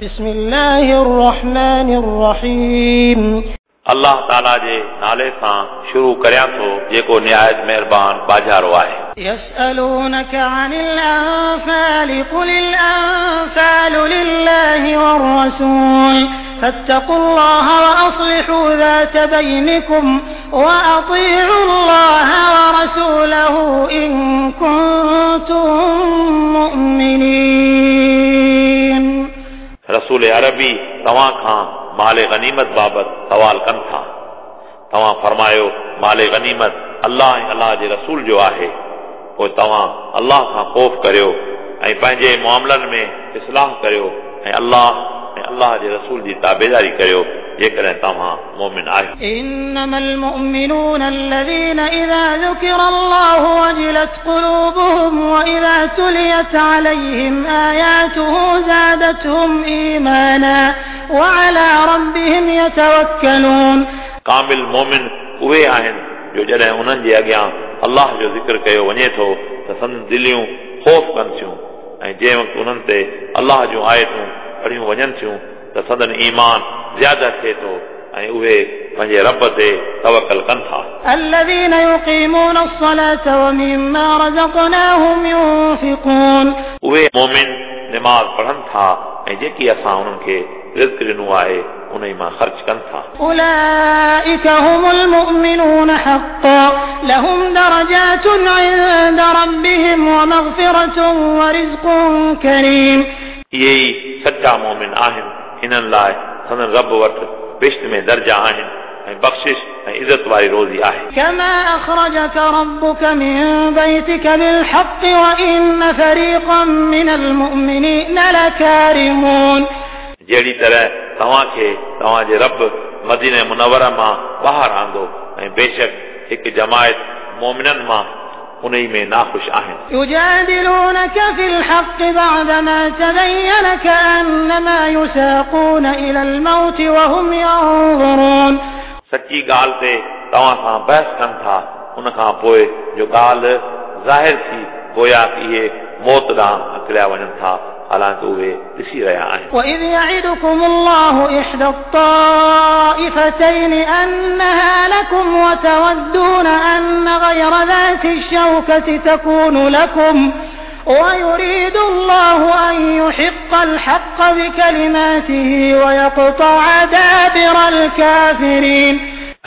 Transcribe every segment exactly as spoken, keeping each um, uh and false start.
بسم الله الرحمن الرحيم. الله تعالى جي نالي سان شروع ڪريان ٿو جيڪو نهايت مهربان باجارو آهي. يسألونك عن الأنفال قل الأنفال لله والرسول فاتقوا الله وأصلحوا ذات بينكم وأطيعوا الله ورسوله إن كنتم مؤمنين. رسول عربي توهان کان مال غنيمت بابت سوال ڪن ٿا. توهان فرمايو مال غنيمت الله ۽ الله جي رسول جو آهي. پوءِ توهان الله کان خوف ڪريو ۽ پنهنجي معاملن ۾ اصلاح ڪريو ۽ الله ۽ الله جي رسول جي تابعداري ڪريو جيڪڏهن توهان مؤمن آهيو. إنما المؤمنون الذين إذا ذكر الله وجلت قلوبهم وإذا تليت عليهم آياته زادتهم إيمانا وعلى ربهم يتوكلون. ڪامل مؤمن اهي آهن جو جڏهن انهن جي اڳيان الله جو ذڪر ڪيو وڃي ٿو ته سندن دليون خوف ڪن ٿيون ۽ جنهن وقت انهن تي الله جون آيتون پڙهيون وڃن ٿيون ته سندن ايمان زياده ٿئي ٿو ۽ اهي پنهنجي رب تي توڪل ڪن ٿا. الذين يقيمون الصلاة ومما رزقناهم ينفقون. اهي مؤمن نماز پڙهن ٿا ۽ جيڪي اسان انهن کي رزق ڏنو آهي انهي مان خرچ ڪن ٿا. أولئك هم المؤمنون حقا لهم درجات عند ربهم ومغفرة ورزق كريم. اهي ئي سچا مؤمن آهن. هنن لاءِ سندن رب وٽ بهشت ۾ درجا آهن ۽ بخشش ۽ عزت واري روزي آهي. كما أخرجك ربك من بيتك بالحق وإن فريقا من المؤمنين لكارهون. جهڙي طرح توهان کي توهان جي رب مدينه منوره مان ٻاهر آندو ۽ بيشڪ هڪ جماعت مؤمنن مان انهي ۾ ناخوش آهن. يجادلونك في الحق بعدما تبين كأنما يساقون إلى الموت وهم ينظرون. سچي ڳالهه تي توهان سان بحث ڪن ٿا ان کان پوءِ جو ڳالهه ظاهر ٿي گويا ڪه اهي موت ڏانهن اڪليا وڃن ٿا حالانڪه اهي ڏسي رهيا آهن. وإذ يعدكم الله إحدى الطائفتين أنها لكم وتودون أن غير ذات الشوكة تكون لكم ويريد الله أن يحق الحق بكلماته ويقطع دابر الكافرين.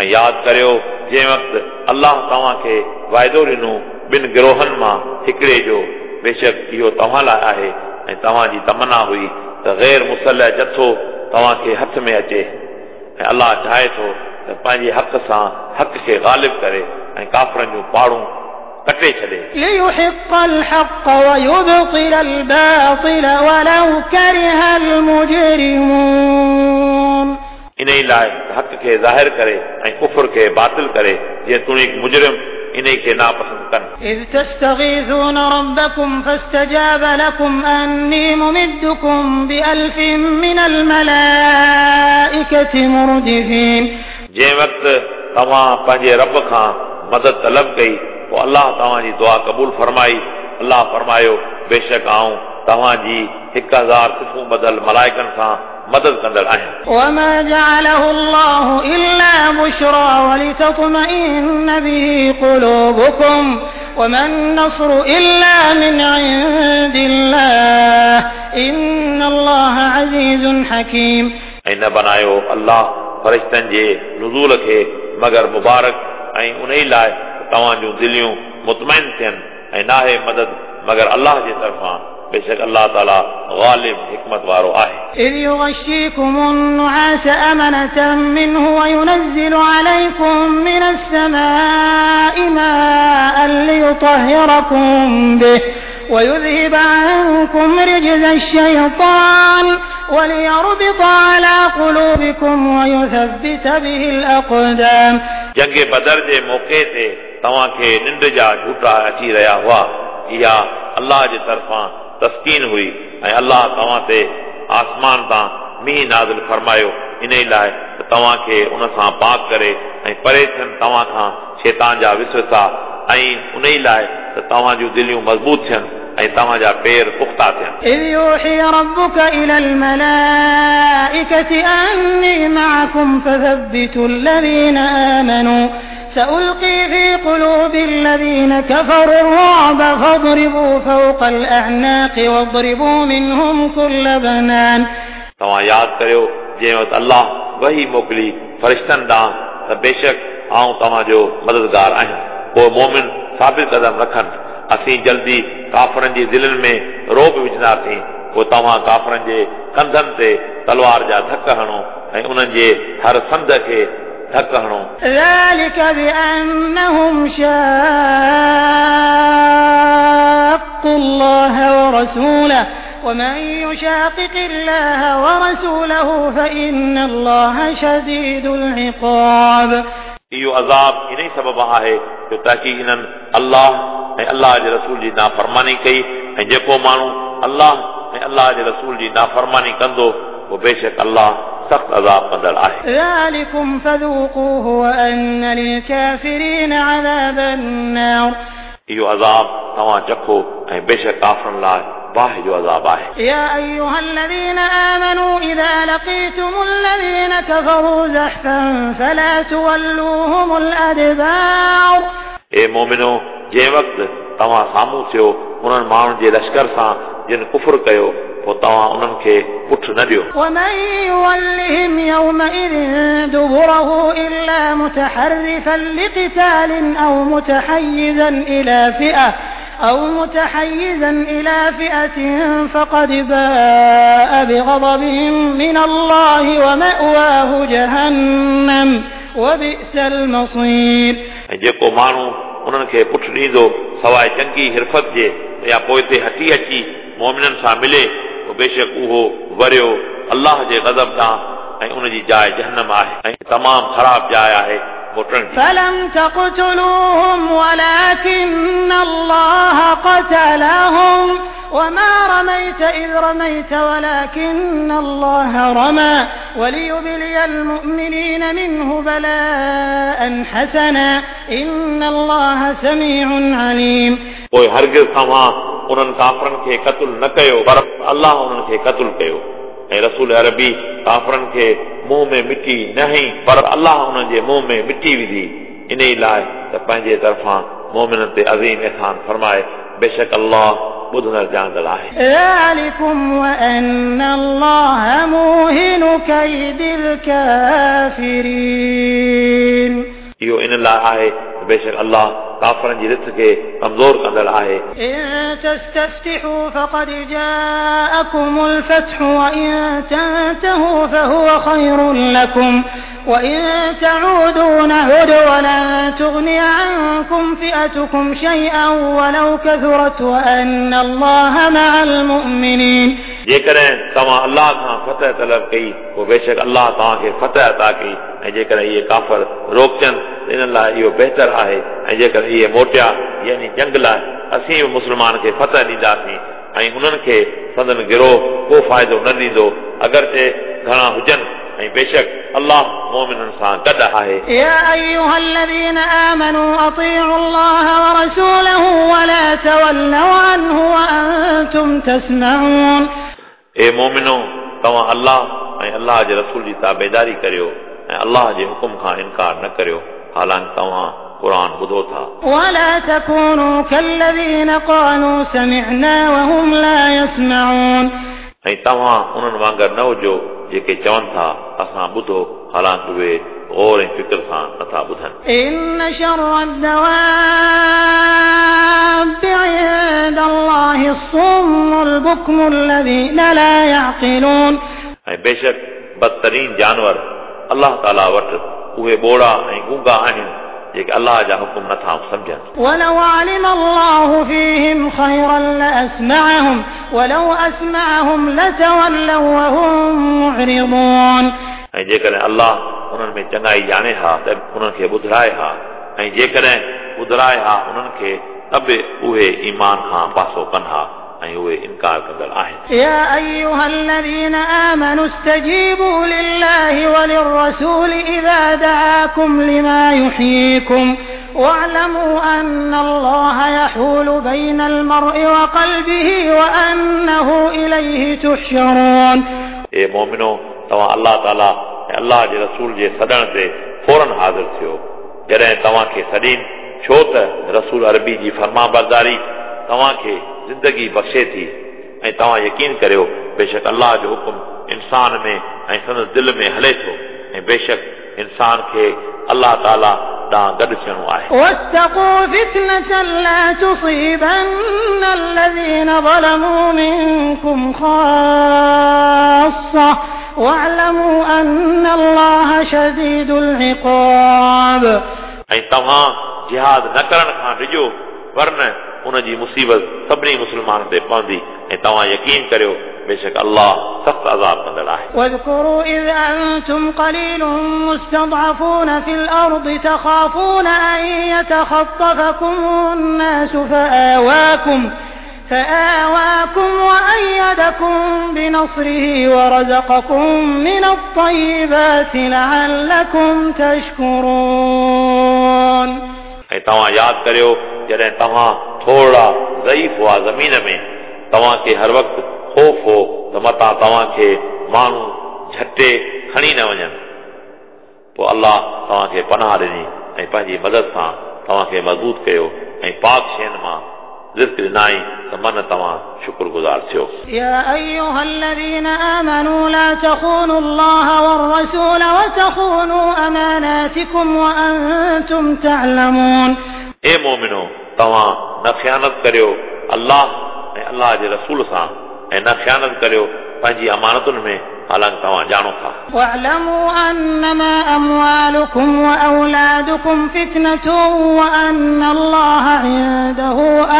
ऐं यादि करियो जंहिं वक़्तु अलाह तव्हांखे वाइदो ॾिनो ॿिनि गिरोहनि मां हिकिड़े जो, बेशक इहो तव्हां लाइ आहे ऐं तव्हांजी तमना हुई त गैर मुसलह जथो तव्हांखे हथ में अचे ऐं अलाह चाहे थो त पंहिंजे हक़ सां हक़ खे ग़ालिब करे ऐं काफ़रनि जूं पाड़ूं कटे छॾे. ليحق الحق ويبطل الباطل ولو كره المجرمون. इन लाइ हक़ खे ज़ाहिर करे ऐं कुफर खे बातिल करे जेतोणीक मुजरिम इन खे नापसंद कनि. إذ تستغيثون ربكم فاستجاب لكم أني ممدكم بألف من الملائكة مردفين. जंहिं वक़्तु तव्हां पंहिंजे रब खां मदद तलब कई पोइ अलाह तव्हांजी दुआ क़बूल फरमाई. अलाह फरमायो बेशक आऊं तव्हांजी हिकु हज़ार सिफूं ॿधल मलाइकनि सां मदद कंदड़ आहियां. وما جعله الله إلا بشرى ولتطمئن به قلوبكم وما النصر إلا من عند الله إن الله عزيز حكيم. ऐं न बनायो अलाह फरिश्तनि जे नुज़ूल खे मगर मुबारक ऐं उन लाइ तव्हांजूं दिलियूं मुतमैन थियनि ऐं नाहे मदद मगर अलाह जे तरफ़ां. बेशक अलाह ताला ग़ालिब हिकमत वारो आहे. إذ يغشيكم النعاس أمنة منه وينزل عليكم من السماء ماء ليطهركم به ويذهب عنكم رجز الشيطان وليربط على قلوبكم ويثبت به الأقدام. जंग बदर जे मौक़े ते तव्हांखे निंड जा झूठा अची रहिया हुआ. इहा अलाह जे तरफ़ां तस्कीन हुई ऐं अलाह तव्हां ते आसमान तां मींहुं नाज़िल फरमायो इन लाइ त तव्हांखे उन सां पाक करे ऐं परे थियनि तव्हां खां शैतान जा विसविसा ऐं उन लाइ त तव्हांजूं दिलियूं मज़बूत थियनि ऐं तव्हांजा पेर पुख़्ता थियनि. إذ يوحي ربك إلى الملائكة الملائكة أني معكم فثبتوا الذين آمنوا سألقي في قلوب الذين كفروا الرعب فاضربوا فوق الأعناق واضربوا منهم كل بنان. तव्हां यादि करियो जंहिं वक़्तु अल्लाह वही मोकिली फरिश्तनि ॾांहुं त बेशक आउं तव्हांजो मददगार आहियां। पोइ मोमिन साबित कदम रखनि, असीं जल्दी काफ़रनि जी दिलनि में रोब विझंदासीं, पोइ तव्हां काफ़रनि जे कंधनि ते तलवार जा धक हणो ऐं उन्हनि जे हर संद खे धक हणो। ذلك بأنهم شاقوا الله ورسوله ومن يشاقق الله ورسوله فإن الله شديد العقاب. इहो अज़ाब इन ई सबब आहे जो ताकी इन्हनि अल्लाह ऐं अल्लाह जे रसूल जी नाफ़रमानी कई ऐं जेको माण्हू अल्लाह ऐं अल्लाह जे रसूल जी नाफ़रमानी कंदो पोइ बेशक अल्लाह सख़्त अज़ाब कंदड़ आहे। ذلكم فذوقوه وأن للكافرين عذاب النار. इहो अज़ाब तव्हां चखो ऐं बेशक काफ़रनि लाइ बाहि जो अज़ाब आहे। يا أيها الذين آمنوا إذا لقيتم الذين كفروا زحفا فلا تولوهم الأدبار. ए मोमिनो, जंहिं वक़्तु तव्हां साम्हूं थियो उन्हनि माण्हुनि जे लश्कर सां जिन कुफुर कयो, पोइ तव्हां उन्हनि खे पुठ न ॾियो। ومن يولهم يومئذ دبره إلا متحرفا لقتال أو متحيزا إلى فئة أو متحيزا إلى فئة فقد باء بغضب من الله ومأواه جهنم وبئس المصير. ऐं जेको माण्हू उन्हनि खे पुठ ॾींदो सवाइ चंगी हिरफत जे या पोइ ते हटी अची मोमिननि सां मिले, पोइ बेशक उहो वरियो अल्लाह जे ग़ज़ब ॾांहुं ऐं उन जी जाइ जहन्नम आहे ऐं तमामु ख़राब जाइ आहे मोटण जी। فلم تقتلوهم ولكن الله قتلهم وما رميت إذ رميت ولكن الله رمى وليبلي المؤمنين منه بلاء حسنا إن الله سميع عليم. पोइ हरगिज़ तव्हां उन्हनि काफ़रनि खे क़तलु न कयो, पर अल्लाह उन्हनि खे क़तलु कयो। ऐं रसूल अरबी काफ़रनि खे मुंहं में मिटी न हई, पर अल्लाह उन्हनि जे मुंहं में मिटी विधी, इन ई लाइ त पंहिंजे तरफ़ां मोमिननि ते अज़ीम एहसान फरमाए। बेशक अल्लाह ॿुधंदड़ ॼाणंदड़ आहे। ذلكم وأن الله موهن كيد الكافرين. इहो इन लाइ आहे त बेशक अल्लाह काफ़रनि जी रिथ खे कमज़ोर कंदड़ आहे। إن تستفتحوا فقد جاءكم الفتح وإن تنتهوا فهو خير لكم وإن تعودوا نعد ولن تغني عنكم فئتكم شيئا ولو كثرت وأن الله مع المؤمنين. जेकॾहिं तव्हां अल्लाह खां फतह तलब कई, पोइ बेशक अल्लाह तव्हांखे फतह अता कई। ऐं जेकॾहिं इहे काफ़र रोकजनि त इन्हनि लाइ इहो बहितर आहे, ऐं जेकॾहिं इहे मोटिया यानी जंग लाइ, असीं बि मुस्लमान खे फतह ॾींदासीं ऐं उन्हनि खे संदन गिरोह को फ़ाइदो न ॾींदो अगरचे घणा हुजनि, ऐं बेशक अल्लाह मोमिननि सां गॾु आहे। يا أيها الذين آمنوا أطيعوا الله ورسوله ولا تولوا عنه وأنتم تسمعون. ए मोमिनो, तव्हां अल्लाह ऐं अल्लाह जे रसूल जी ताबेदारी करियो ऐं अल्लाह जे हुकुम खां इनकार न करियो, हालांकि तव्हां क़ुर ॿुधो था। ولا تكونوا كالذين قالوا سمعنا وهم لا يسمعون. ऐं तव्हां उन्हनि वांगुरु न हुजो जेके चवनि था असां ॿुधो, हालांकि उहे गौर ऐं फ़िक्र सां नथा ॿुधनि। إن شر الدواب عند الله الصم البكم الذين لا يعقلون. ऐं बेशक बदतरीन जानवर अल्लाह ताला वटि उहे ॿोड़ा ऐं गूंगा आहिनि जेके अल्लाह जा हुकुम नथा सम्झनि। ولو علم الله فيهم خيرا لأسمعهم ولو أسمعهم لتولوا وهم معرضون. ऐं जेकॾहिं अल्लाह उन्हनि में चङाई ॼाणे हा त उन्हनि खे ॿुधाए हा, ऐं जेकॾहिं ॿुधाए हा उन्हनि खे त बि उहे ईमान खां पासो कनि हा ऐं उहे इनकार कंदड़ आहिनि। يا أيها الذين آمنوا استجيبوا لله وللرسول إذا دعاكم لما يحييكم واعلموا أن الله يحول بين المرء وقلبه وأنه إليه تحشرون. ए मोमिनो, तव्हां अलाह ताला ऐं अलाह जे रसूल जे सॾण ते फ़ौरन हाज़िर थियो जॾहिं तव्हांखे सॾीनि, छो त रसूल अरबी जी फरमाबरदारी तव्हांखे ज़िंदगी बख़्शे थी ऐं तव्हां यकीन करियो बेशक अलाह जो हुकुम इंसान में ऐं संदसि दिलि में हले थो ऐं बेशक इंसान खे अलाह ताला ॾांहुं गॾु थियणो आहे। واتقوا فتنة لا تصيبن الذين ظلموا منكم خاصة واعلموا أن الله شديد العقاب। ऐं तव्हां जिहाद न करण खां डिॼो वरन उन जी मुसीबत सभिनी मुस्लमाननि ते पवंदी ऐं तव्हां यकीन करियो बेशक अलाह सख़्तु अज़ाब कंदड़ आहे। واذكروا إذ أنتم قليل مستضعفون في الأرض تخافون أن يتخطفكم الناس فآواكم فآواكم وأيدكم بنصره ورزقكم من الطيبات لعلكم تشكرون। ऐं तव्हां यादि करियो जॾहिं तव्हां थोरा ज़ईफ़ हुआ ज़मीन में, तव्हांखे हर वक़्तु ख़ौफ़ हो त मतां तव्हांखे माण्हू झटे खणी न वञनि, पोइ अलाह तव्हांखे पनाह ॾिनी ऐं पंहिंजी मदद सां तव्हांखे मज़बूत कयो ऐं पाक शयुनि मां रिज़्क ॾिनाई त मन तव्हां शुक्रगुज़ार थियो। يا أيها الذين آمنوا لا تخونوا الله والرسول وتخونوا أماناتكم وأنتم تعلمون। ए मोमिनो, तव्हां न ख़ियानत करियो अलाह ऐं अलाह जे रसूल सां ऐं न ख़ियानत करियो पंहिंजी अमानतुनि में, हालांकि तव्हां ॼाणो था। واعلموا أنما أموالكم وأولادكم فتنة وأن الله عنده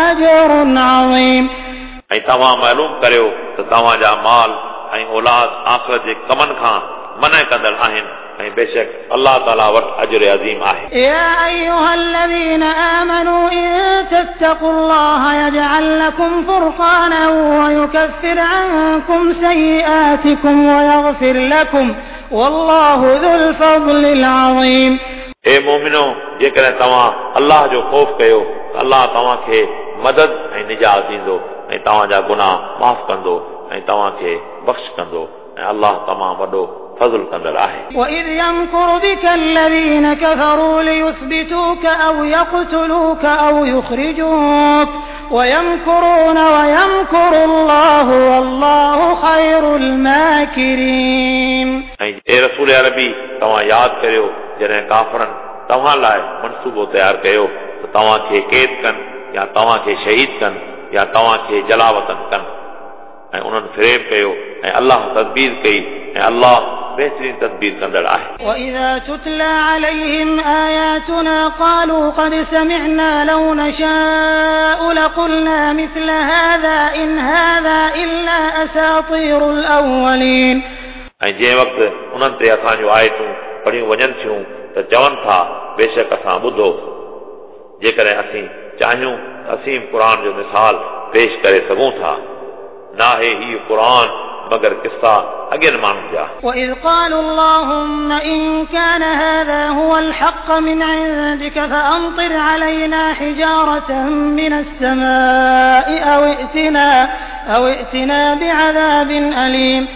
أجر عظيم। ऐं तव्हां मालूम करियो त तव्हांजा माल ऐं औलाद आख़िरत जे कमनि खां मना कंदड़ आहिनि ऐं बेशक अलाह ताला वटि अजर अज़ीम आहे। يا أيها الذين آمنوا إن تتقوا الله يجعل لكم فرقانا ويكفر عنكم سيئاتكم ويغفر لكم والله ذو الفضل العظيم। ए मोमिनो, जेकॾहिं तव्हां अलाह जो ख़ौफ़ कयो त अलाह तव्हांखे मदद ऐं निजात ॾींदो ऐं तव्हांजा गुनाह माफ़ कंदो ऐं तव्हांखे बख़्श कंदो ऐं अलाह तमामु वॾो फज़ुल कंदड़ आहे। وإذ يمكر بك الذين كفروا ليثبتوك أو يقتلوك أو يخرجوك ويمكرون ويمكر الله والله خير الماكرين। ऐं ए रसूल अरबी, तव्हां यादि करियो जॾहिं काफ़रनि तव्हां लाइ मनसूबो तयारु कयो त तव्हांखे क़ैद कनि या तव्हांखे शहीद कनि या तव्हांखे जलावतन कनि, ऐं उन्हनि फ़रेब कयो ऐं अलाह तदबीर कई ऐं अलाह बेहतरीन तदबीर कंदड़ आहे। وإذا تتلى عليهم آياتنا قالوا قد سمعنا لو نشاء لقلنا مثل هذا إن هذا إلا أساطير الأولين। ऐं जंहिं वक़्तु उन्हनि ते असांजूं आयतूं पढ़ियूं वञनि थियूं त चवनि था बेशक असां ॿुधो, जेकॾहिं असीं चाहियूं त असीं क़ुर जो मिसाल पेश करे सघूं था। नाहे हीउ क़ुर मगर किस्सा अॻियनि माण्हुनि जा। وإذ قالوا اللهم إن كان هذا هو الحق من عندك فأمطر علينا حجارة من السماء أو ائتنا أو ائتنا بعذاب أليم।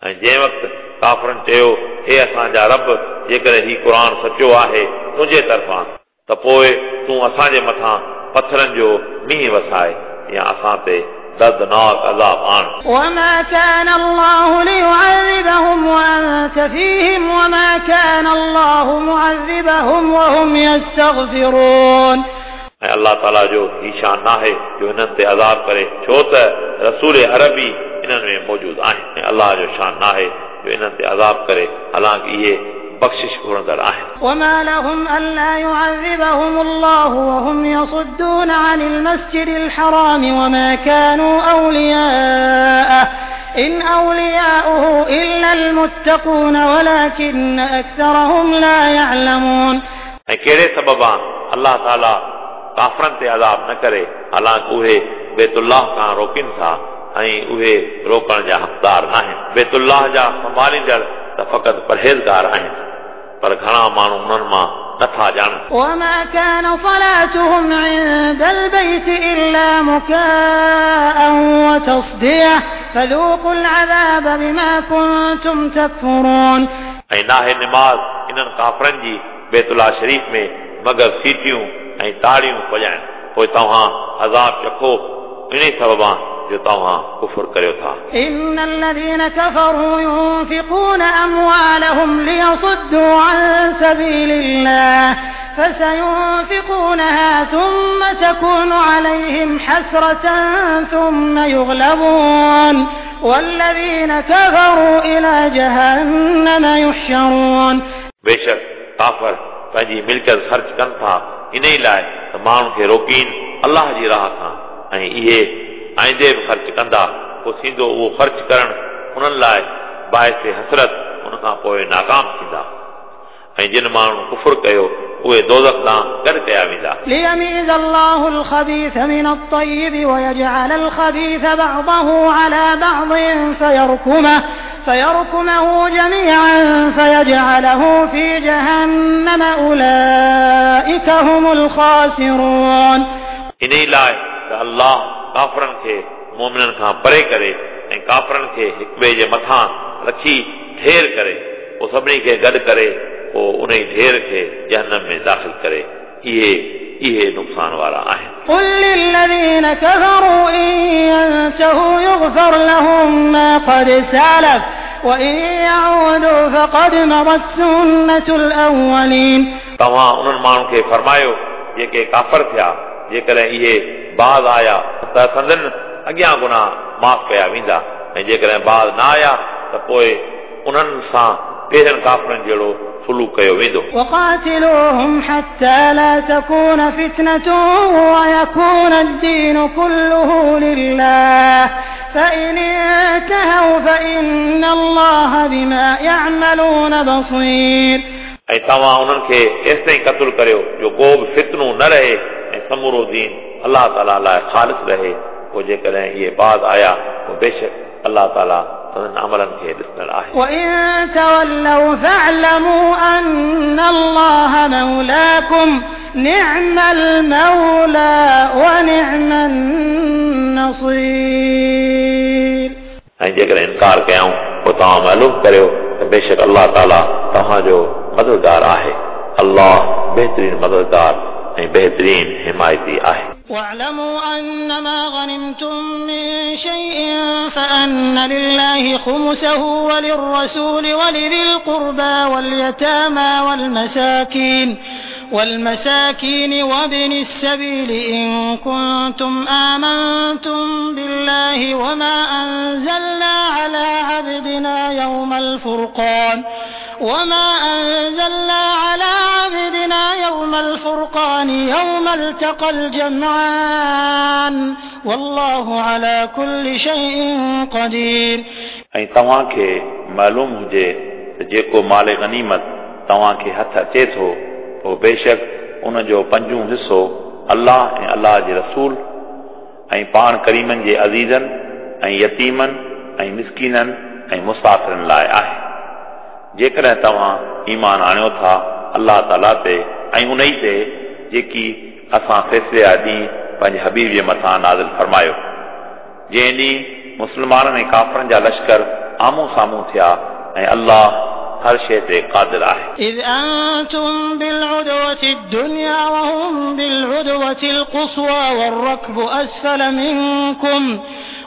ऐं जंहिं वक़्तु काफ़रनि चयो हे असांजा रब, जेकॾहिं हीउ क़ुर सचो आहे तुंहिंजे तरफ़ां त पोइ तूं असांजे मथां पथरनि जो मींहुं वसाए या असां ते दर्दनाक अज़ाब आण। وما كان الله ليعذبهم وأنت فيهم وما كان الله معذبهم وهم يستغفرون। ऐं अलाह ताला जो ही शान नाहे जो हिननि ते अज़ाब करे, छो त रसूल अरबी इन्हनि में मौजूदु आहिनि। ऐं अलाह जो शान नाहे जो इन्हनि ते अज़ाब करे, हालांकि इहे बख़्शिश घुरंदड़ आहिनि। وما لهم ألا يعذبهم الله وهم يصدون عن المسجد الحرام وما كانوا أولياءه إن أولياؤه إلا المتقون ولكن أكثرهم لا يعلمون। ऐं कहिड़े सबबा अलाह ताला काफ़रनि ते अज़ाब न करे, हालांकि उहे बैतुल्लाह खां रोकनि था ऐं उहे रोकण जा हक़दार न आहिनि। बैतुल्लाह जा संभालींदड़ त फ़क़ति परहेज़गार आहिनि, पर घणा माण्हू उन्हनि मां नथा ॼाणनि। وما كان صلاتهم عند البيت إلا مكاء وتصدية فذوقوا العذاب بما كنتم تكفرون. ऐं नाहे नमाज़ इन्हनि काफ़रनि जी बैतुल्लाह शरीफ़ में मगर सीटियूं ऐं ताड़ियूं वॼाइनि, पोइ तव्हां अज़ाब चखो इन सबबा जो तव्हां कुफुर करियो था। إن الذين كفروا ينفقون أموالهم ليصدوا عن سبيل الله فسينفقونها ثم تكون عليهم حسرة ثم يغلبون والذين كفروا إلى جهنم يحشرون. बेशक काफ़र पंहिंजी मिल्कियत ख़र्च कनि था इन ई लाइ त माण्हुनि खे रोकीनि अलाह जी राह खां, ऐं इहे आईंदे बि ख़र्च कंदा, पोइ थींदो उहो ख़र्च करणु उन्हनि लाइ बाइस हसरत, उन खां पोइ नाकाम थींदा। ऐं जिन माण्हुनि कुफुर कयो उहे दोज़ख ॾांहुं गॾु कया वेंदा। ليميز الله الخبيث من الطيب ويجعل الخبيث بعضه على بعض فيركمه فيركمه جميعا فيجعله في جهنم أولئك هم الخاسرون. इन ई लाइ त अलाह काफ़रनि खे मोमिननि खां परे करे ऐं काफ़रनि खे हिक ॿिए जे मथां रखी ढेर करे, पोइ सभिनी खे गॾु करे पोइ उन ढेर खे जहन्नम में दाख़िल करे। इहे इहे नुक़सान वारा आहिनि। قل للذين كفروا إن ينتهوا يغفر لهم ما قد سلف وإن يعودوا فقد مضت سنة الأولين. तव्हां उन्हनि माण्हुनि खे फरमायो जेके काफ़र थिया, जेकॾहिं इहे बाज़ आया त संदन अॻियां गुनाह माफ़ कया वेंदा, ऐं जेकॾहिं बाज़ न आया त पोइ उन्हनि सां पहिरियनि काफ़रनि जहिड़ो सुलूक कयो वेंदो। وقاتلوهم حتى لا تكون فتنة ويكون الدين كله لله فإن انتهوا فإن الله بما يعملون بصير. ऐं तव्हां उन्हनि खे एसिताईं क़तलु करियो जो को बि फितनो न रहे ऐं समूरो दीन अलाह ताला लाइ ख़ालिस रहे। पोइ जेकॾहिं इहे बाज़ आया पोइ बेशक अलाह ताला संदन अमलनि खे ॾिसंदड़ आहे। وإن تولوا فاعلموا أن الله مولاكم نعم المولى ونعم النصير. ऐं जेकॾहिं इनकार कयाऊं पोइ तव्हां मालूम करियो त बेशक अलाह ताला तव्हांजो मददगार आहे। अलाह बहितरीन मददगार ऐं बहितरीन हिमायती आहे। واعلموا أنما غنمتم من شيء فأن لله خمسه وللرسول ولذي القربى واليتامى والمساكين والمساكين وابن السبيل إن كنتم آمنتم بالله وما أنزلنا على عبدنا يوم الفرقان وما أنزلنا على عبدنا يوم الفرقان يوم التقى الجمعان والله على كل شيء قدير. ऐं तव्हांखे मालूम हुजे त जेको माल गनीमत तव्हांखे हथ अचे थो पोइ बेशक उनजो पंजूं हिसो अलाह ऐं अलाह जे रसूल ऐं पाण करीमनि जे अज़ीज़नि ऐं यतीमनि ऐं मिसकीननि ऐं मुसाफ़िरनि लाइ आहे। जेकॾहिं तव्हां ईमान आणियो था अलाह ताला ते ऐं उन ई ते जेकी असां फ़ैसिले जा ॾींहुं पंहिंजे हबीब जे मथां नाज़िल फरमायो, जंहिं ॾींहुं मुस्लमाननि ऐं काफ़रनि जा लश्कर आम्हूं साम्हूं थिया ऐं अलाह हर शइ ते क़ादिर आहे। إذ أنتم بالعدوة الدنيا وهم بالعدوة القصوى والركب أسفل منكم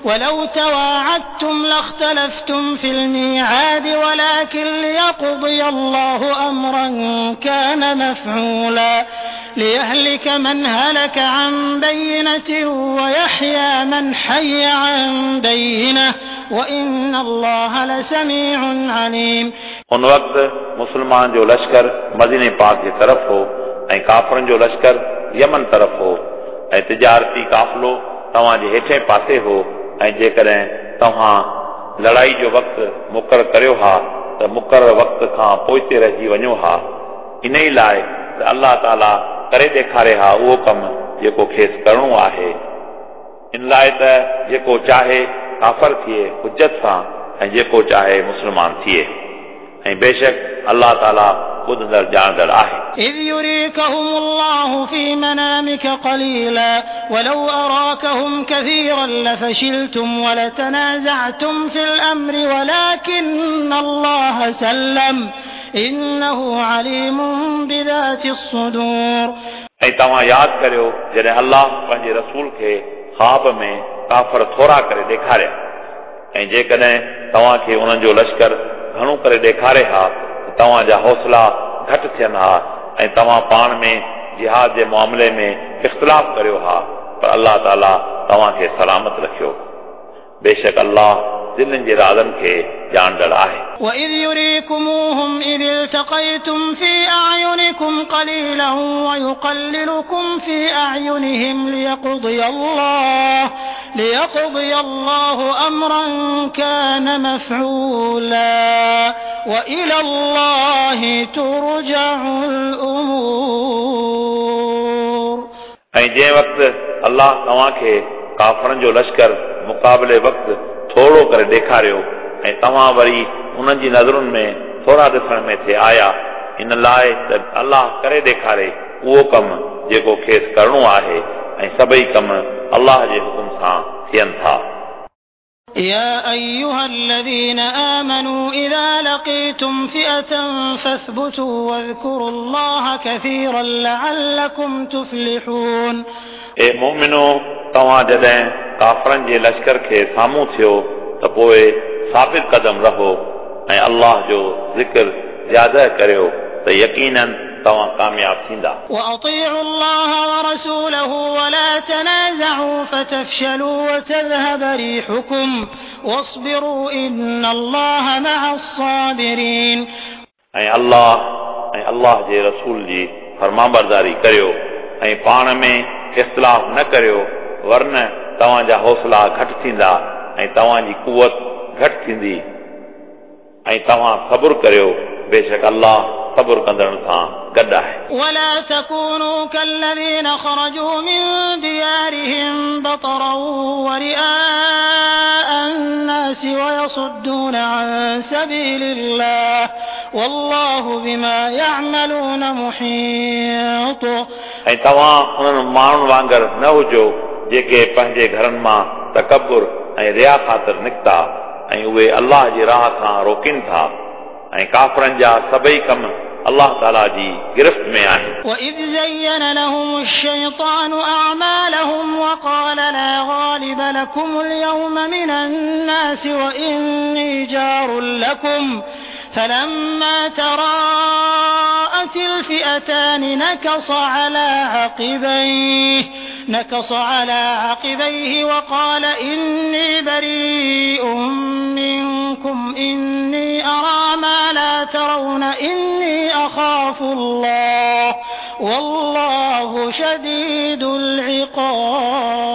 ولو تواعدتم لاختلفتم في الميعاد ولكن ليقضي الله أمرا كان مفعولا ليهلك من هلك عن بينة ويحيى من حي عن بينة وإن الله لسميع عليم. उन वक़्तु मुस्लमान जो लश्कर मदीने पाक जे तरफ़ हो ऐं काफ़रनि जो लश्कर यमन तरफ़ हो ऐं तिजारती काफ़िलो तव्हांजे हेठे पासे हो ऐं जेकॾहिं तव्हां लड़ाई जो वक़्तु मुक़ररु करियो हा त मुक़ररु वक़्त खां पोइते रहिजी वञो हा। इन ई लाइ त अलाह ताला करे ॾेखारे हा उहो कमु जेको खेसि करिणो आहे, इन लाइ त जेको चाहे काफ़र थिए हुजत सां ऐं जेको चाहे मुस्लमान थिए, ऐं बेशक अलाह ताला ॿुधंदड़ ॼाणंदड़ आहे। إذ يريكهم الله في منامك قليلا ولو أراكهم كثيرا لفشلتم ولتنازعتم في الأمر ولكن الله سلم إنه عليم بذات الصدور. ऐं तव्हां यादि करियो जॾहिं अल्लाह पंहिंजे रसूल खे ख़्वाब में काफ़र थोरा करे ॾेखारिया ऐं जेकॾहिं तव्हांखे उन्हनि जो लश्कर घणो करे ॾेखारे हा त तव्हांजा हौसला घटि थियनि हा ऐं तव्हां पाण में जिहाद जे मामले में इख़्तिलाफ़ करियो हा, पर अल्लाह ताला तव्हांखे सलामत रखियो। बेशक अल्लाह दिलनि जे राज़नि खे ॼाणंदड़ आहे। وإذ يريكموهم إذ التقيتم في أعينكم قليلا ويقللكم في أعينهم ليقضي الله ليقضي الله أمرا كان مفعولا وإلى الله ترجع الأمور. ऐं जंहिं वक़्तु अल्लाह तव्हांखे काफ़रनि जो लश्कर मुक़ाबले वक़्तु थोरो करे ॾेखारियो ऐं तव्हां वरी उन्हनि जी नज़रुनि में थोरा ॾिसण में थे आया, इन लाइ त अल्लाह करे ॾेखारे उहो कमु जेको खेसि करिणो आहे ऐं सभई कम अल्लाह जे हुकुम सां थियनि था। يا أيها الذين آمنوا إذا لقيتم فئة فاثبتوا واذكروا الله كثيرا لعلكم تفلحون. ए मोमिनो, तव्हां जॾहिं काफ़रनि जे लश्कर खे साम्हूं थियो त पोइ साबित कदम रहो ऐं अल्लाह जो ज़िक्र ज़्यादा करियो त यकीनन तव्हां कामयाब थींदा। وأطيعوا الله ورسوله ولا تنازعوا فتفشلوا وتذهب ريحكم واصبروا إن الله مع الصابرين. ऐं अल्लाह ऐं अल्लाह जे रसूल जी फरमाबरदारी करियो ऐं पाण में इख़्तिलाफ़ न करियो, वरन तव्हांजा हौसला घटि थींदा ऐं तव्हांजी कुवत घटि थींदी ऐं तव्हां सब्र करियो, बेशक अल्लाह सब्र कंदड़नि सां गॾु आहे। ولا تكونوا كالذين خرجوا من ديارهم بطرا ورئاء الناس ويصدون عن سبيل الله والله بما يعملون محيط. ऐं तव्हां उन्हनि माण्हुनि वांगुरु न हुजो जेके पंहिंजे घरनि मां तकबुर ऐं रिया ख़ातिर निकिता ऐं उहे अल्लाह जी राह खां रोकनि था ऐं काफ़रनि जा सभई कम अल्लाह ताला जी गिरफ़्त में आहिनि। وإذ زين لهم الشيطان أعمالهم وقال لا غالب لكم اليوم من الناس وإني جار لكم فلما تراءت الفئتان نكص على عقبيه نكص على عقبيه وقال إني بريء منكم إني أرى ما لا ترون إني أخاف الله والله شديد العقاب.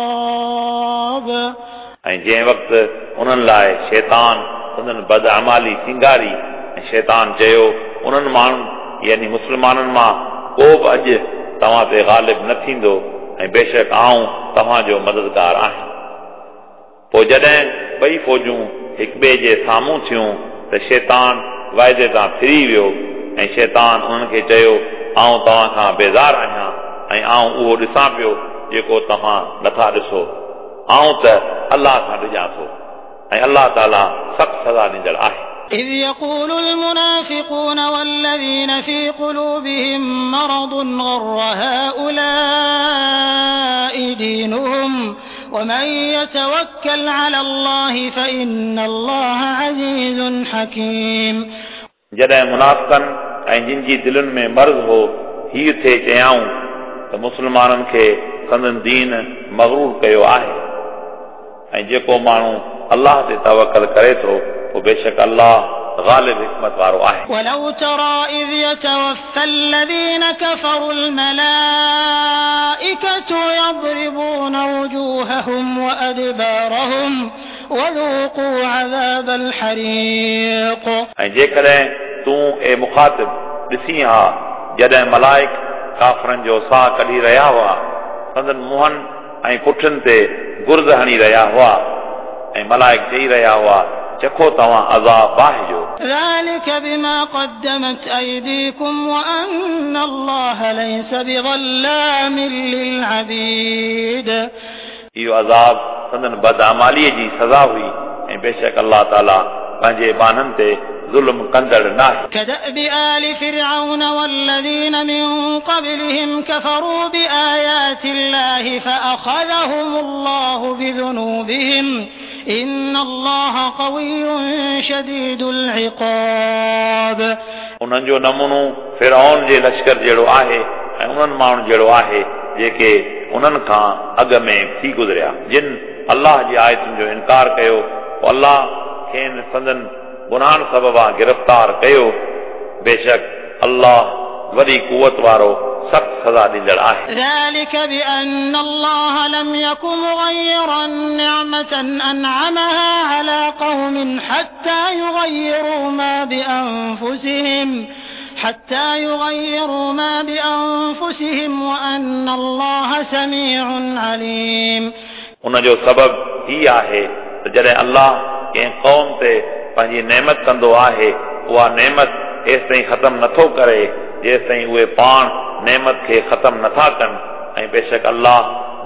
ऐं जंहिं वक़्तु उन्हनि लाइ शैतान संदन बदअमाली सिंगारी ऐं शैतान चयो उन्हनि माण्हुनि यानी मुस्लमाननि मां को बि अॼु तव्हां ते ग़ालिब न थींदो ऐं बेशक आउं तव्हांजो मददगार आहियां। पोइ जॾहिं ॿई फ़ौजूं हिक ॿिए जे साम्हूं थियूं त शैतान वाइदे तां फिरी वियो ऐं शैतान उन्हनि खे चयो आउं तव्हां खां बेज़ार आहियां ऐं आउं उहो ॾिसां पियो जेको तव्हां नथा ॾिसो, आउं त अल्लाह खां ॾिजां थो ऐं अल्लाह ताला सख़्तु सज़ा ॾींदड़ आहे। إذ يقول المنافقون والذين في قلوبهم مرض غر هؤلاء دينهم ومن يتوكل على الله فإن الله عزيز حكيم. जॾहिं मुनाफ़िक़नि ऐं जिन जी दिलनि में मर्ज़ हो हीअ थे चयाऊं त मुस्लमाननि खे संदन दीन मग़रूर कयो आहे ऐं जेको माण्हू अल्लाह ते तवकल करे थो पोइ बेशक अल्लाह ग़ालिब हिकमत वारो आहे। ولو ترى إذ يتوفى الذين كفروا الملائكة يضربون وجوههم وأدبارهم وذوقوا عذاب الحريق. ऐं जेकॾहिं तूं ए मुखातिब ॾिसी हा जॾहिं मलाइक काफ़रनि जो साह कढी रहिया हुआ, संदन मुंहनि ऐं पुठनि ते गुर्द हणी रहिया हुआ ऐं मलाइक चई रहिया हुआ चखो तव्हां अज़ाब बाहि जो। ذلك بما قدمت أيديكم وأن الله ليس بظلام للعبيد। इहो अज़ाब संदन बदआमालीअ जी सज़ा हुई ऐं बेशक अल्लाह ताला पंहिंजे बान्हनि ते ज़ुल्म कंदड़ नाहे। كدأب آل فرعون والذين من قبلهم كفروا بآيات الله فأخذهم الله بذنوبهم إن الله قوي شديد العقاب। उन्हनि जो नमूनो फिरौन जे लश्कर जहिड़ो आहे ऐं उन्हनि माण्हुनि जहिड़ो आहे जेके उन्हनि खां अॻु में थी गुज़रिया, जिन अल्लाह जी आयतुनि जो इनकार कयो, पोइ अल्लाह खेनि संदन गुनाहनि सबबा गिरफ़्तार कयो। बेशक अल्लाह वॾी कुवत वारो सख़्त सज़ा ॾींदड़ आहे। ذلك بأن الله لم يك مغيرا نعمة أنعمها على قوم حتى يغيروا ما بأنفسهم حتى يغيروا ما بأنفسهم وأن الله سميع عليم। उन जो सबब ही आहे त जॾहिं अल्लाह कंहिं क़ौम ते पंहिंजी नेमत कंदो आहे, उहा नेमत एसि ताईं ख़तम नथो करे जेसि ताईं उहे पाण नेमत खे ख़तम नथा कनि, ऐं बेशक अल्लाह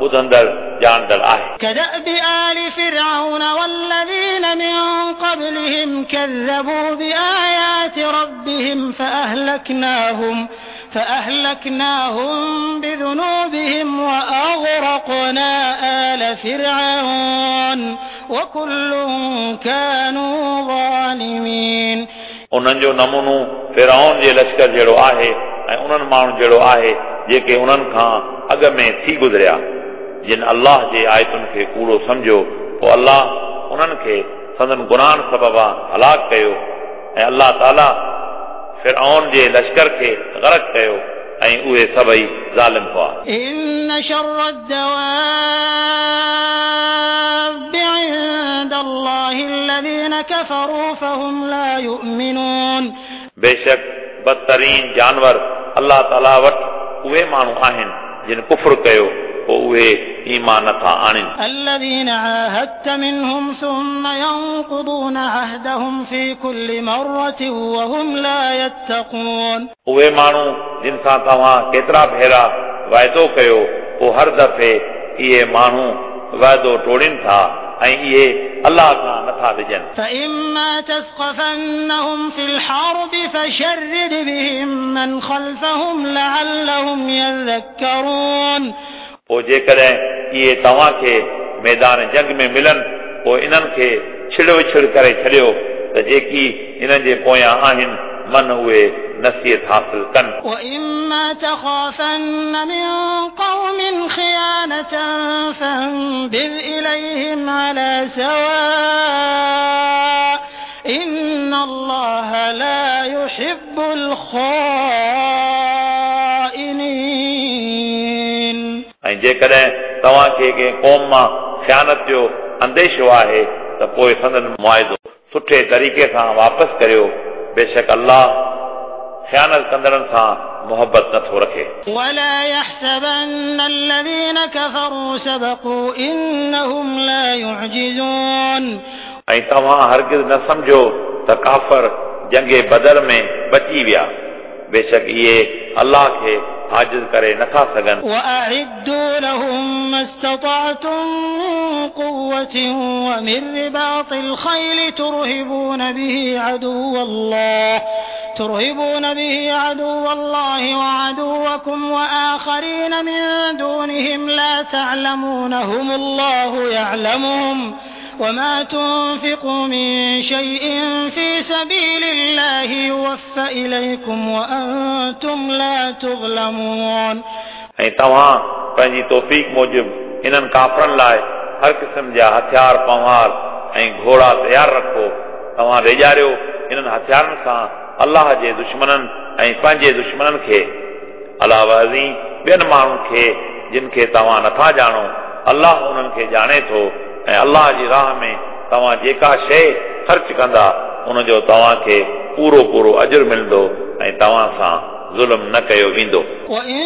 ॿुधंदड़ ॼाणंदड़ आहे। كدأب آل فرعون والذين من قبلهم كذبوا بآيات ربهم فأهلكناهم فأهلكناهم بذنوبهم وأغرقنا آل فرعون وكل كانوا ظالمين। उन्हनि जो नमूनो फिरौन जे लश्कर जहिड़ो आहे ऐं उन्हनि माण्हुनि जहिड़ो आहे जेके उन्हनि खां अॻु में थी गुज़रिया, जिन अल्लाह जे आयतुनि खे कूड़ो सम्झो, पोइ अल्लाह उन्हनि खे संदन गुनाहनि सबबा हलाक कयो ऐं अल्लाह ताला फिरौन जे लश्कर खे गर्क कयो ऐं उहे सभई ज़ालिम हुआ। إن شر الدواب عند الله الذين كفروا فهم لا يؤمنون। बेशक बदतरीन जानवर अल्लाह ताला वटि उहे माण्हू आहिनि जिन कुफ्र कयो, पोइ उहे ईमान नथा आणनि। الذين عاهدت منهم ثم ينقضون عهدهم في كل مرة وهم لا يتقون। उहे माण्हू जिन सां तव्हां केतिरा भेरा वाइदो कयो, पोइ हर दफ़े इहे माण्हू वाइदो टोड़नि था ऐं इहे अल्लाह खां नथा ॾिजनि। فإما تثقفنهم في الحرب فشرد بهم من خلفهم لعلهم يذكرون। पोइ जेकॾहिं इहे तव्हांखे मैदान जंग में मिलनि, पोइ इन्हनि खे छिड़ विछड़ करे छॾियो त जेकी इन्हनि जे पोयां आहिनि मन उहे नसीहत हासिल कनि। وإما تخافن من قوم خيانة فانبذ إليهم على سواء إن الله لا يحب الخائنين। ऐं जेकॾहिं तव्हांखे कंहिं क़ौम मां ख़ियानत जो अंदेशो आहे त पोइ संदन मुआइदो सुठे तरीक़े सां वापसि करियो, बेशक अल्लाह ख़ियानत कंदड़नि सां मोहबत नथो रखे। ولا يحسبن الذين كفروا سبقوا إنهم لا يعجزون। ऐं तव्हां हरगिज़ न सम्झो त काफ़र जंगे बदर में बची विया, बेशक इहे अल्लाह खे आजिज़ करे नथा सघनि। وأعدوا لهم ما استطعتم من قوة ومن رباط الخيل ترهبون به عدو الله ترهبون به عدو الله وعدوكم وآخرين من دونهم لا تعلمونهم الله يعلمهم وما تنفقوا من شيء في سبيل الله يوفى إليكم وأنتم لا تظلمون। ऐं तव्हां पंहिंजी तौफ़ीक़ मूजिबि इन्हनि काफ़रनि लाइ हर क़िस्म जा हथियार पंवार ऐं घोड़ा तयारु रखो। तव्हां ॾेजारियो इन्हनि हथियारनि सां अल्लाह जे दुश्मननि ऐं पंहिंजे दुश्मननि खे, अलावा अज़ीं ॿियनि माण्हुनि खे जिन खे तव्हां नथा ॼाणो, अल्लाह उन्हनि खे ॼाणे थो। ऐं अल्लाह जी राह में तव्हां जेका शइ ख़र्च कंदा उनजो तव्हांखे पूरो पूरो अजर मिलंदो ऐं तव्हां सां ज़ुल्म न कयो वेंदो। وإن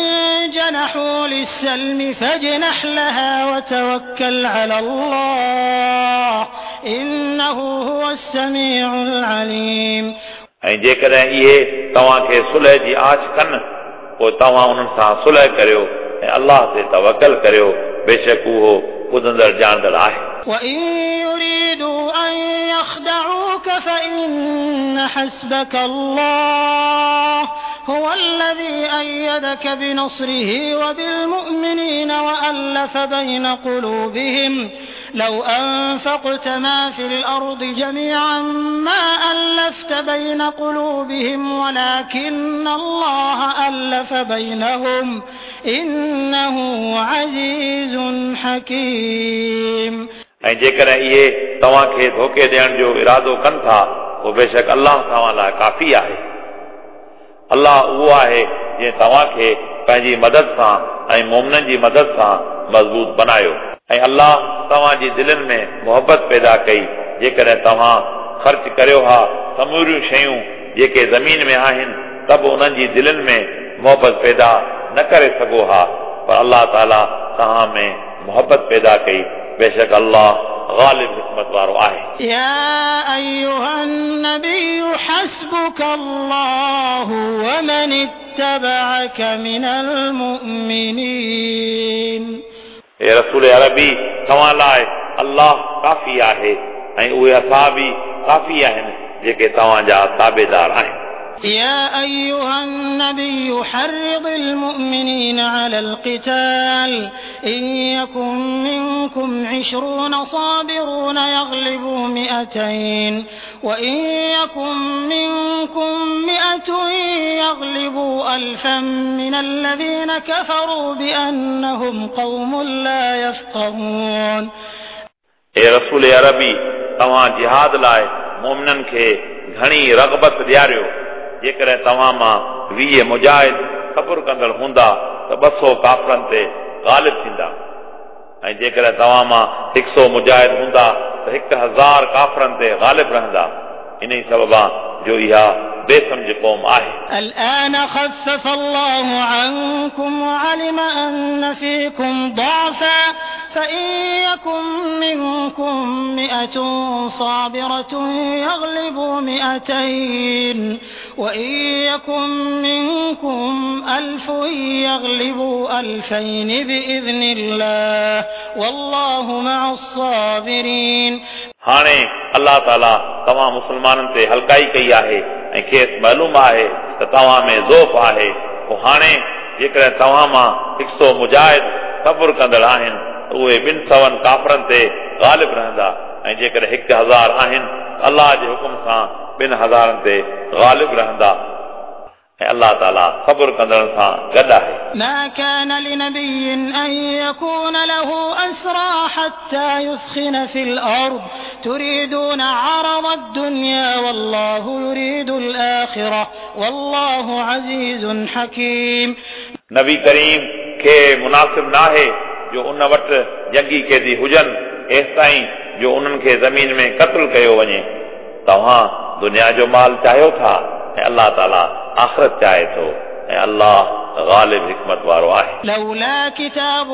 جنحوا للسلم فاجنح لها وتوكل على الله إنه هو السميع العليم. ऐं जेकॾहिं इहे तव्हांखे सुलह जी आछ कनि पोइ तव्हां उन्हनि सां सुलह करियो ऐं अल्लाह ते तवकल करियो, बेशक उहो ॿुधंदड़ ॼाणंदड़ आहे। وإن يريدوا أن يخدعوك فإن حسبك الله هو الذي أيدك بنصره وبالمؤمنين وألف بين قلوبهم لو أنفقت ما في الأرض جميعا ما ألفت بين قلوبهم ولكن الله ألف بينهم إنه عزيز حكيم. ऐं जेकॾहिं इहे तव्हांखे धोखे ॾियण जो इरादो कनि था पोइ बेशक अल्लाह तव्हां लाइ काफ़ी आहे। अल्लाह उहो आहे जंहिं तव्हांखे पंहिंजी मदद सां ऐं मोमिननि जी मदद सां मज़बूत बनायो ऐं अल्लाह तव्हांजी दिलनि में मोहबत पैदा कई। जेकॾहिं तव्हां ख़र्च करियो हा समूरियूं शयूं जेके ज़मीन में आहिनि त बि उन्हनि जी दिलनि में मोहबत पैदा न करे सघो हा, पर अल्लाह ताला तव्हां में मोहबत पैदा कई। बेशक अल्लाह ग़ालिब हिकमत वारो आहे। या अय्युहा नबी हस्बुक अल्लाहु वमन इत्तबअक मिनल मुमिनीन। ए रसूल अरबी, तव्हां लाइ अल्लाह काफ़ी आहे ऐं उहे असाबी काफ़ी आहिनि जेके तव्हांजा ताबेदार आहिनि। يا أيها النبي حرض المؤمنين على القتال إن يكن منكم عشرون صابرون يغلبوا مئتين وإن يكن منكم مئة يغلبوا ألفا من الذين كفروا بأنهم قوم لا يفقهون. ए रसूल अरबी, तव्हां जिहाद लाइ मोमिननि खे घणी रग़बत ॾियारियो। जेकॾहिं तव्हां मां वीह मुजाहिद सब्र कंदड़ हूंदा त ॿ सौ काफ़रनि ते ग़ालिब थींदा ऐं जेकॾहिं तव्हां मां हिकु सौ मुजाहिद हूंदा त हिकु हज़ार काफ़रनि ते ग़ालिब रहंदा। इन ई सबबा जो इहा बेसमझ क़ौम आहे। الآن خفف الله عنكم وعلم أن فيكم ضعفا فإن يكن منكم مئة صابرة يغلبوا مئتين وإن يكن منكم ألف يغلبوا ألفين بإذن الله والله مع الصابرين. हाणे अल्लाह ताला तव्हां मुसलमाननि ते हल्काई कई आहे ऐं खेसि मालूम आहे त तव्हां में ज़ोफ़ आहे। पोइ हाणे जेकॾहिं तव्हां मां हिकु सौ मुजाहिद सब्र कंदड़ आहिनि त उहे ॿिनि सवनि काफ़रनि ते ग़ालिब रहंदा ऐं जेकॾहिं हिकु हज़ार आहिनि त अल्लाह जे हुकुम सां ॿिनि हज़ारनि ते ग़ालिब रहंदा ऐं अल्लाह ताला सब्र कंदड़नि सां गॾु आहे। ما كان لنبي أن يكون له أسرى حتى يثخن في الأرض تريدون عرض الدنيا والله يريد الآخرة والله عزيز حكيم. नबी करीम खे मुनासिब नाहे जो उन वटि जंगी कैदी हुजनि एसिताईं जो उन्हनि खे ज़मीन में क़त्ल कयो वञे। तव्हां दुनिया जो माल चाहियो था ऐं अल्लाह ताला आख़िरत चाहे थो ऐं अल्लाह ग़ालिब हिकमत वारो आहे। لولا كتاب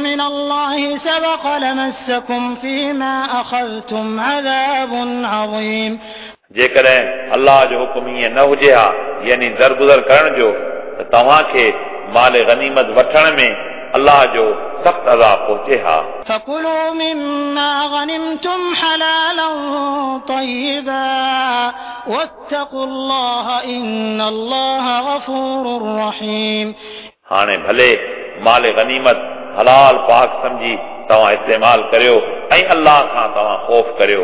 من الله سبق لمسكم فيما أخذتم عذاب عظيم. जेकॾहिं अल्लाह जो हुकुम ईअं न हुजे हा, यानी दरगुज़र करण जो, त तव्हांखे माल गनीमत वठण में अल्लाह जो सख़्तु अज़ाब पहुचे हा। فكلوا مما غنمتم حلالا طيبا واتقوا الله إن الله غفور رحيم. हाणे भले माल गनीमत हलाल पाक सम्झी तव्हां इस्तेमाल करियो ऐं अल्लाह खां तव्हां ख़ौफ़ करियो,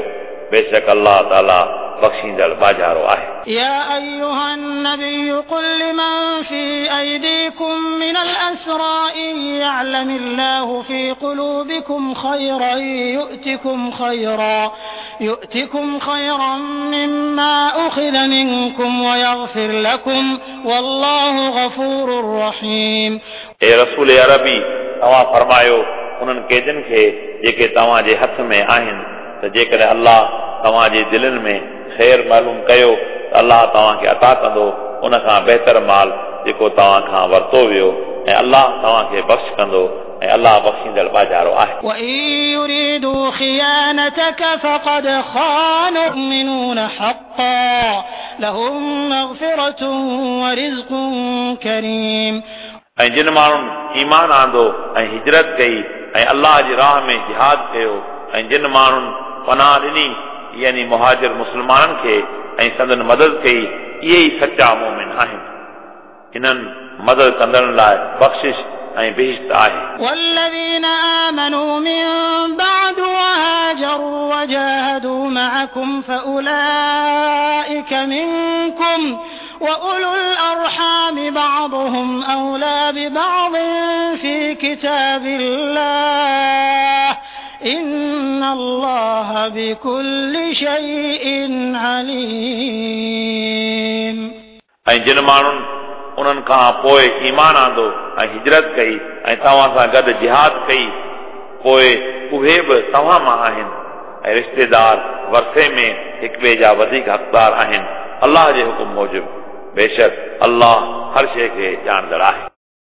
बेशक अल्लाह ताला बख़्शींदड़ बाजारो आहे। يا أيها النبي قل لمن في أيديكم من الأسرى إن يعلم الله في قلوبكم خيرا يؤتكم خيرا يؤتكم خيرا مما أخذ منكم ويغفر لكم والله غفور رحيم. ए रसूल अरबी, तव्हां फरमायो उन्हनि कैदनि खे जेके तव्हांजे हथ में आहिनि त जेकॾहिं अल्लाह तव्हांजे दिलनि में ख़ैर मालूम कयो त अल्लाह तव्हांखे अता कंदो उन खां बहितर माल जेको तव्हां खां वरितो वियो ऐं अल्लाह तव्हांखे बख़्श कंदो ऐं अलाह बख़्शींदड़ बाजारो आहे। وإن يريدوا خيانتك فقد خانوا المؤمنون حقا لهم مغفرة ورزق كريم। ऐं जिन माण्हुनि ईमान आंदो ऐं हिजरत कई ऐं अलाह जी राह में जिहाद कयो ऐं जिन माण्हुनि पनाह ॾिनी यानी मुहाजिर मुस्लमाननि खे ऐं संदन मदद कई इहे ई सच्चा मोमिन आहिनि। इन्हनि मदद कंदड़नि लाइ बख़्शिश ऐं बहिश्त आहे। والذين آمنوا من بعد وهاجروا وجاهدوا معكم فأولئك منكم وأولو الأرحام بعضهم أولى ببعض في كتاب الله إن الله بكل شيء عليم। ऐं जिन माण्हुनि उन्हनि खां पोइ ईमान आंदो ऐं हिजरत कई ऐं तव्हां सां गॾु जिहाद कई पोइ उहे बि तव्हां मां आहिनि ऐं रिश्तेदार वरसे में हिक ॿिए जा वधीक हक़दार आहिनि अलाह जे हुकुम मूजिबि। बेशक अलाह हर शइ खे ॼाणंदड़ आहे।